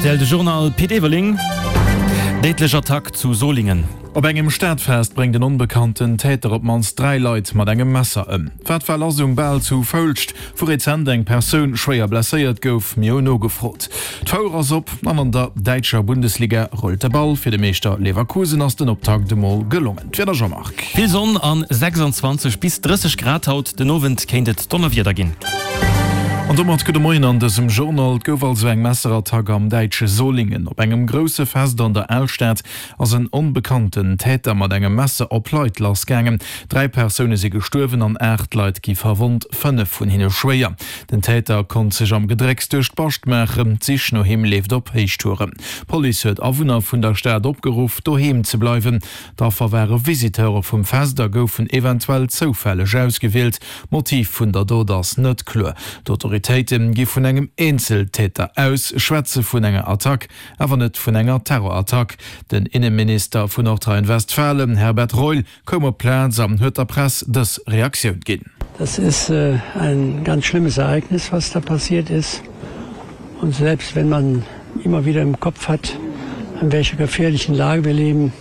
Rtl De Journal Pit Everling. Déidlech Attack zu Solingen. Op engem Stadfest bréngt en onbekannten Täter op d'mannst 3 Leit mat engem Messer ëm. Wat war lass um Bal zu Foulscht, wou rezent eng Persoun schwéier blesséiert gouf? Mir hunn nogefrot. D'Fouer ass op an an der däitscher Bundesliga rullt de Ball. Fir de Meeschter Leverkusen ass den Optakt emol gelongen. D'Wieder Jean-Marc. Vill Sonn an 26 bis 30 Grad haut, den Owend kéint et Donnerwieder ginn. An domat gudde Moien an dësem Journal. Et gouf also eng Messerattack am däitsche Solingen. Op engem grousse Fest an der Alstad ass en onbekannten Täter mat engem Messer op Leit lassgaangen. 3 Persoune si gestuerwen an 8 Leit gi verwonnt, 5 vun hinne schwéier. Den Täter konnt sech am Gedrécks duerch d'Bascht maachen. D'Sich no him leeft op Héichtouren. D'Police huet Awunner vun der Stad opgeruff, doheem ze bleiwen. D'Affer ware Visiteure vum Fest a goufen eventuell zoufälleg ausgewielt. D'Motiv vun der Dot ass net kloer. D'Autoritéite gi vun engem Eenzeltäter aus, schwätze vun enger Attack, awer net vun enger Terrorattack. Den Inneminister vun Nordrhein-Westfalen, Herbert Reul, koum op d'Plaz an huet der Press dës Reaktioun ginn. Das ist ein ganz schlimmes Ereignis, was da passiert ist. Und selbst wenn man immer wieder im Kopf hat, an welcher gefährlichen Lage wir leben,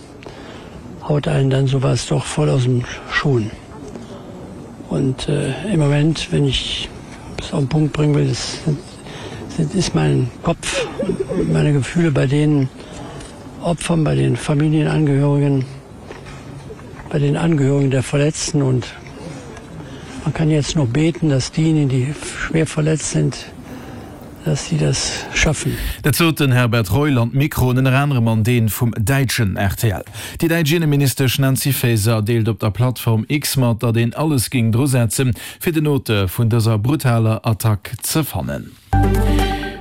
haut einen dann sowas doch voll aus dem Schuhen. Und äh, im Moment, wenn ich es auf den Punkt bringen will, ist, ist mein Kopf, meine Gefühle bei den Opfern, bei den Familienangehörigen, bei den Angehörigen der Verletzten und man kann jetzt nur beten, dass diejenigen, die schwer verletzt sind, dass sie das schaffen. Dat sot den Herbert Reul an d'Mikroen, ënner anerem an dee vum däitschen rtl. Déi däitsch Inneministesch Nancy Faeser deelt op der Plattform X mat, datt een alles géing drusetzen, fir den Auteur vun dëser brutaler Attack ze fannen.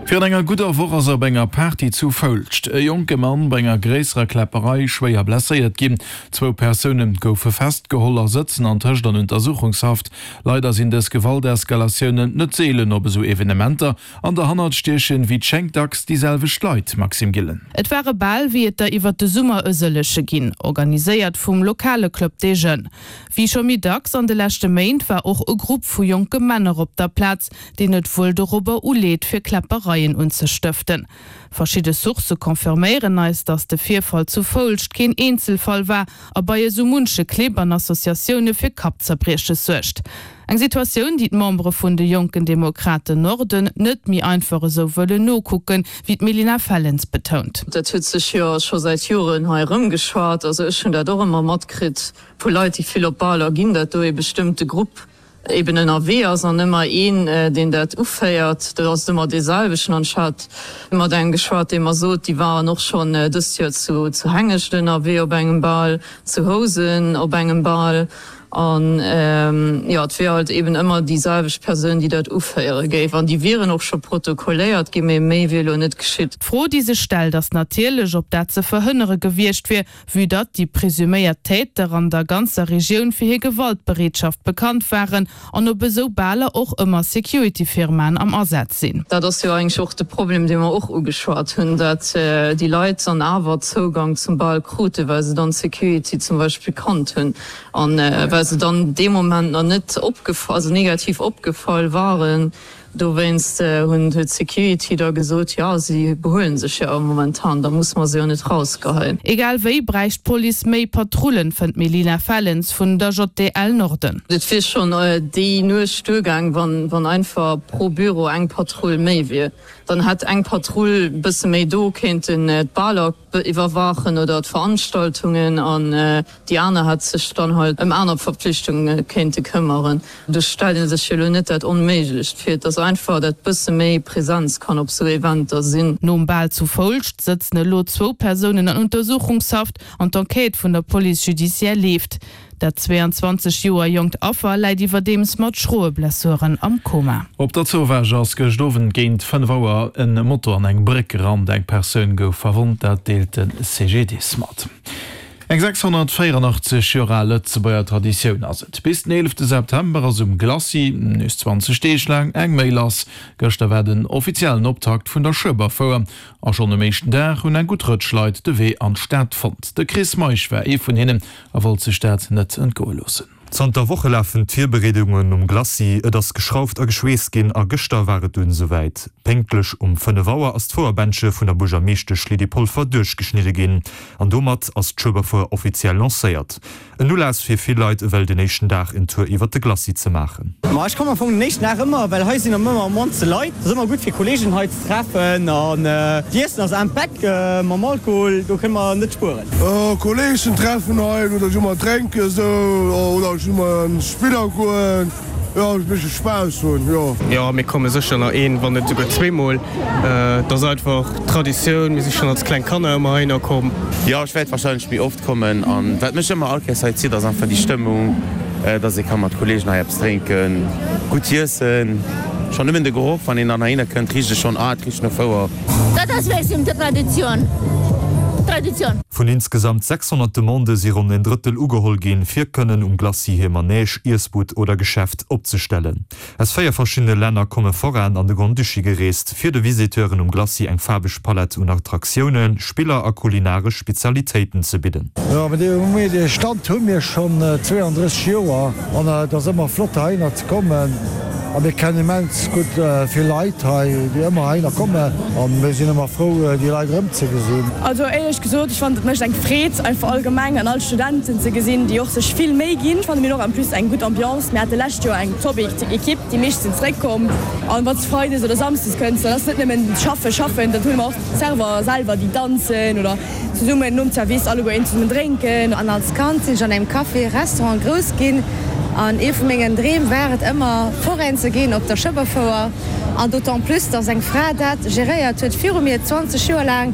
Virun enger gudder Woch ass op enger Party zu Foulscht e jonke Mann bei enger gréisserer Kläpperei schwéier blesséiert ginn. Zwou Persoune goufe festgeholl a sëtzen antëscht an Untersuchungshaft. Leider sinn dës Gewalteskalatiounen net seelen op esou Evenementer an derhannert stiechen wéi et schéngt dacks déi selwecht Leit. Maxime Gillen. Et war e Bal wéi et der iwwert de Summer e sëlleche ginn, organiséiert vum lokale Club des Jeunes. Wéi scho méi dacks an de leschte Méint war och e Grupp vu jonke Männer op der Plaz, deen et wuel dorobber uleet, fir Kläppereien unzestëften. Verschidde Sourcë confirméieren eis, datt de Virfall zu Foulscht keen Eenzelfall war a bei esou munche Clibb an Associatioune fir Kappzerbrieches suergt. Eng Situatioun, déi d'Membere vun de Jonken Demokraten Norden net méi einfach esou wëllen nokucken, wéi d'Melina Fellens betount. Dat huet sech jo scho säit Joren hei erëmgeschwat. Also ech hunn dat och ëmmer matkritt vu Leit, déi vill op Baler ginn, dat do ee bestëmmte Grupp eben ënnerwee ass an ëmmer een, deen dat uféiert, dat ass ëmmer dee selwechten. An ech hat mat engem geschwat, dee mer sot, déi waren och schonn dëst Joer zu zu Hengescht ënnerwee op engem Bal, zu Housen op engem Bal. An jo, et wier halt eben ëmmer déi selwecht Persoun, déi dat uféiere géif. An déi wieren och scho protokolléiert ginn, mee méi wier elo net geschitt. D'Fro, déi sech stellt, ass natierlech, ob dat ze verhënnere gewiescht wier, Vue datt déi presuméiert Täter an der ganzer Regioun fir hir Gewaltbereetschaft bekannt waren an op esou Baler och ëmmer Security-Firmaen am Asaz sinn. Dat ass jo eigentlech och de Problem, dee mer och ugeschwat hunn, dat déi Leit dann awer Zougang zum Bal kruten, well se dann d'Security zum Beispill kannt hunn a well se dann dee Moment nach net opgefall, also negativ opgefall waren. Dowéinst hunn huet d'Security da gesot, jo, si behuelen sech jo awer momentan, da musse mer se jo net rausgeheien. Egal wéi bräicht d'Police méi Patrullen, fënnt d'Melina Fellens vun der JDL Norden. Et wier schonn déi Nuecht duergaang, wann einfach pro Büro eng Patrull méi wier. Dann hätt eng Patrull bësse méi do kéinten d'Baler iwwerwaachen oder d'Veranstaltungen an déi aner hätt sech dann halt ëm aner Verpflichtunge kéinte këmmeren. Do stellt ee sech jo elo net dat Onméiglecht vir. Et ass einfach, dat bësse méi Präsenz kann op sou Eventer sinn. Nom Bal zu Foulscht sëtzen elo zwou Persounen an Untersuchungshaft an d'Enquête vun der Police judiciaire leeft. Dat 22 Joer jonkt Affer läit iwwerdeems mat schroe Blessuren am Koma. Op der Zowaasch ass gëscht Owend géint 5 Auer en Moto an eng Bréck gerannt. Eng Persoun gouf verwonnt, dat deelt de CGDIS mat. Eng 684 Joer al Lëtzebuerger Traditioun ass et. Bis den 11 September ass um Glacis, nees 20 Deeg laang, eng Méi lass. Gëschter war den offiziellen Optakt vun der Schueberfouer a schonn um éischten Dag hunn eng gutt Rëtsch Leit de Wee an d'Stad fonnt. De Chris Meisch war ee vun hinnen a wollt sech dat net entgoe loossen. Zanter Woche lafen d'Virbereedungen um Glacis. Et ass geschrauft a geschweesst ginn a gëschter war et dunn esouwäit. Pénktlech um 5 Auer ass d'Fouerbändche vun der Buergermeeschtesch Lydie Polfer duerchgeschnidde ginn an domat ass d'Schueberfouer offiziell lancéiert. En Ulass fir vill Leit ewell den éischten Dag en Tour iwwert de Glacis ze maachen. Ma ech kommen am Fong den éischten Dag ëmmer, well hei sinn ëmmer am mannste Leit. Et ass ëmmer gutt fir Kollegen hei ze treffen an d'Iessen ass am Beck mam Alkohol, do kënne mer net spueren. Kollegen treffen hei oder just mol drénken esou oder just mol an Spiller goen. Jo, e bëssche Spaass hunn, jo. Jo, mir komme sécher nach een, wann net esouguer zweemol. Et ass einfach Traditioun, mir si schonn als kleng Kanner ëmmer heihinner komm. Jo, ech wäert warscheinlech méi oft kommen. An wat mech ëmmer all Kéiers hei zitt, ass einfach déi Stëmmung, dass ee ka mat Kolleegen hei eppes drénken, gutt iessen. Schonn nëmmen de Geroch, wann een dann heihinner kënnt, richt e schonn, ah, et richt no Fouer. Dat ass wéi Traditioun, Traditioun. Vun insgesamt 600 Demandë si ronn en Drëttel ugeholl ginn, fir kënnen um Glacis hir Manège, Iessbud oder Geschäft opzestellen. Aus 4 verschiddene Länner komme Forainen an de Grand-Duché gereest, fir de Visiteuren um Glacis eng faarweg Palett un Attraktiounen, Spiller a kulinaresch Spezialitéiten ze bidden. Jo, mee dee Stand hu mir schonn 32 Joer an et ass ëmmer flott heihinner ze kommen. A mir kennen immens gutt vill Leit hei, déi ëmmer heihinner kommen a mir sinn ëmmer frou, déi Leit erëmzegesinn. Also éierlech gesot, ech fannen et mécht eng Freed einfach allgemeng an all d'Studenten ze gesinn, déi och sech vill Méi ginn. Ech fanne mir hunn och en plus eng gutt Ambiance. Mir hate lescht Joer eng top Equipe, déi meescht sinn zeréckkomm. An wann s de freides oder samsdes kënns, dann ass net nëmmen schaffen, schaffen, dann hunn mer och d'Server selwer, déi danzen oder Zesummen nom Zerwiss alleguer een zesummen drénken. An als Kand sinn ech an engem Café Restaurant grouss ginn an ee vu mengen Dreem war et ëmmer Foraine ze ginn op der Schëbberfouer an d'autant plus dass eng Fra dat geréiert huet viru mir 20 Joer laang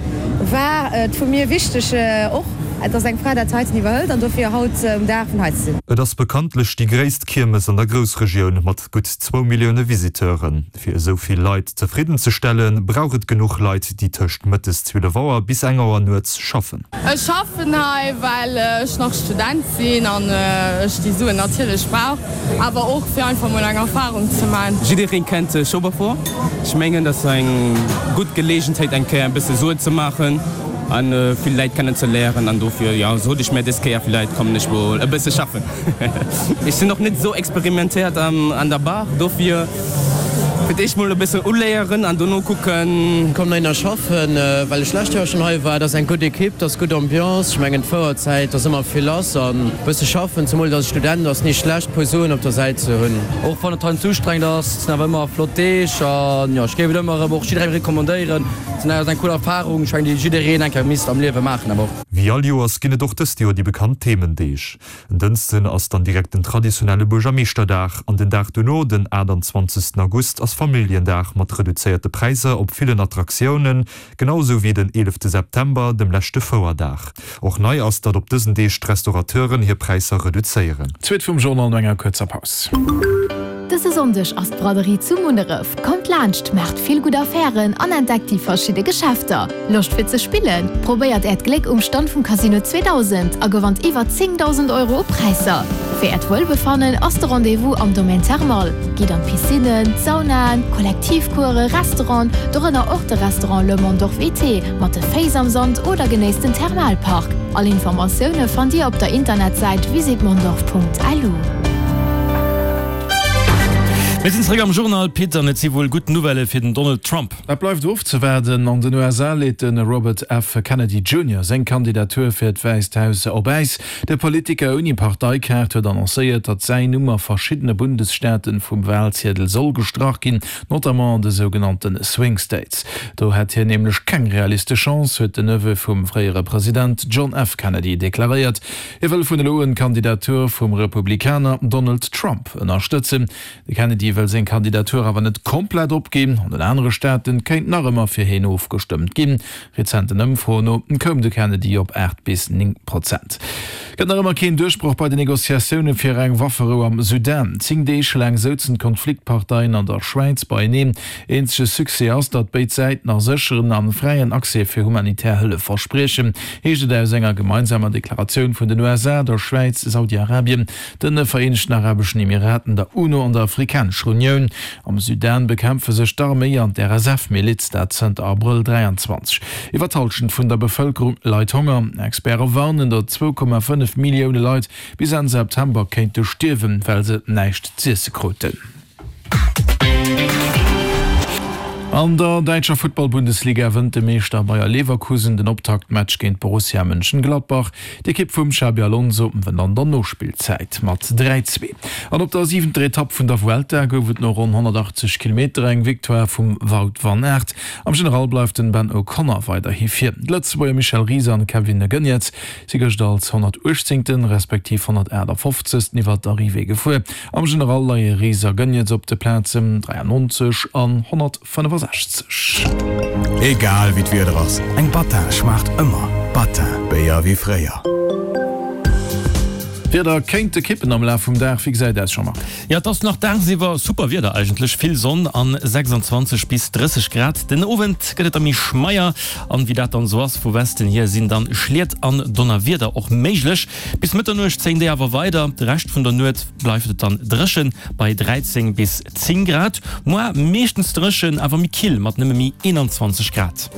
war et vu mir wichteg och dass eng Fra dat heiten iwwerhëlt an dofir haut um Dag vun hei ze sinn. Et ass bekanntlech déi gréisst Kiermes an der Groussregioun mat gutt zwou Millioune Visiteuren. Fir esou vill Leit zefridden ze stellen, brauch et genuch Leit, déi tëscht mëttes 12 Auer bis eng Auer nuets schaffen. Ech schaffen hei, well ech nach Student sinn an ech déi Suen natierlech brauch, awer och fir einfach mol eng Erfarung ze man. Jiddereen kennt Schueberfouer. Ech mengen, dat ass eng gutt Geleegenheet eng Kéier e bësse Suen ze maachen an vill Läit kennen ze léieren an dofir, jo, sot ech mir dës Kéier, villäit kommen ech mol e bësse schaffen. Ech sinn och net esou experimentéiert an der Bar, dofir fir d'éischt mol e bëssen uléieren an dono kucken. Komm heihinner schaffen, well ech lescht Joer schonn hei war. Et ass eng gutt Ekipp, et ass gutt Ambiance. Ech mengen d'Fouerzäit ass ëmmer vill lass an e bësse schaffen, zemol dass ech Student ass, ni schlecht puer Suen op der Säit ze hunn. Och wann et heiansdo ustrengend ass, et sinn awer ëmmer flott Deeg an jo, ech géif et ëmmer erëm och jidderengem recommandéieren. Et ass eng cool Erfarung, ech mengen déi jiddereen eng Kéier misst am Liewe maachen awer och. Wéi all Joers ginn et och dëst Joer déi bekannt Themendeeg. En Dënschden ass dann direkt den traditionelle Buergermeeschterdag an den Dag dono, den 28. August, ass Familljendag mat reduzéierte Präisser op villen Attraktiounen, genau esou wéi den 11. September, dem leschte Fouerdag. Och nei ass, datt op dësen Deeg d'Restaurateuren hir Präisser reduzéieren. D'Suite vum Journal no enger kuerzer Paus. Dëse Sonndeg ass d'Braderie zu Munneref. Kommt laanscht, maacht vill gutt Affären an entdeckt déi verschidde Geschäfter. Loscht fir ze spillen? Probéiert äert Gléck um Stand vum Casino 2000 a gewannt iwwer 10.000 Euro u Präisser. Fir äert Wuelbefannen ass de Rendez-vous am Domaine Thermal. Gitt an d'Piscinnen, d'Saunaen, Kollektivcoursen, Restauranten, dorënner och de Restaurant Le Mondorf Été mat de Féiss am Sand oder genéisst den Thermalpark. All Informatioune fannt Dir op der Internetsäit visitmondorf.lu. Mir sinn zeréck am Journal, Pit, an et si wuel gutt Nouvellë fir den Donald Trump. Dat bleift ofzewaarden. An den USA leet de Robert F. Kennedy Junior seng Kandidatur fir d'Wäisst Haus op Äis. De Politiker ouni Parteikaart huet annoncéiert, datt säin Numm a verschiddene Bundesstaaten vum Walziedel soll gestrach ginn, notamment an de sougenannte Swing States. Do hätt hien nämlech keng realistesch Chance, huet den Neveu vum fréiere President John F. Kennedy deklaréiert. Hie wëll vun elo un d'Kandidatur vum Republikaner Donald Trump ënnerstëtzen. De Kennedy wëll seng Kandidatur awer net komplett opginn. An den anere Staate kéint nach ëmmer fir hien ofgestëmmt ginn. Rezenten Ëmfroen no koum de Kennedy op 8 bis 9 Prozent. Gëtt nach ëmmer keen Duerchbroch bei den Negociatioune fir eng Wafferou am Sudan. 10 Deeg laang souzen d'Konfliktparteien an der Schwäiz beieneen. Eenzege Succès ass, datt béid Säiten a sécheren a fräien Accès fir humanitär Hëllef verspriechen, heescht et aus enger gemeinsamer Deklaratioun vun den USA, der Schwäiz, Saudi-Arabien, den Vereenegten Arabeschen Emiraten, der UNO an der Afrikanescher. Afrikanescher Unioun. Am Sudan bekämpfe sech d'Arméi an d'RSF-Miliz, dat zënter Abrëll 23. Iwwer d'Hallschent vun der Bevëlkerung leit Honger. Experte warnen, datt 2,5 Millioune Leit bis Enn September kéinte stierwen, well se näischt z'iesse kruten. An der däitscher Futtball-Bundesliga wënnt de Meeschter Bayer Leverkusen den Optaktmatch géint Borussia Mönchengladbach. D'Ekipp vum Xabi Alonso wënnt an der Nospillzäit mat 3, 2. An op der siwenter Etapp vun der Vuelta gouf et no ronn 180 Kilometer eng Victoire vum Wout van Aert. Am General bleift den Ben O'Connor weiderhi vir. D'Lëtzebuerger Michel Ries an Kevin Geniets si gëscht als 118. Respektiv 158. Iwwer d'Arrivée gefuer. Am General leie Ries a Geniets op de Plazen 93 an 165. Egal wéi d'Wieder ass, eng Battin schmaacht ëmmer. Battin, Béier wéi fréier. D'Wieder kéinte kippen am Laf vum Dag. Wéi gesäit aus, Jean-Marc? Jo, et ass nach dagsiwwer super Wieder eigentlech, vill Sonn an 26 bis 30 Grad. Den Owend gëtt et da méi schmeier an wéi dat dann esou ass, vu Westen hier sinn dann Schliet an Donnerwieder och méiglech. Bis Mëtternuecht zéien déi awer weider, de Rescht vun der Nuet bleift et dann dréchen bei 13 bis 10 Grad. Moar meeschtens dréchen, awer méi kill mat nëmme méi 21 Grad.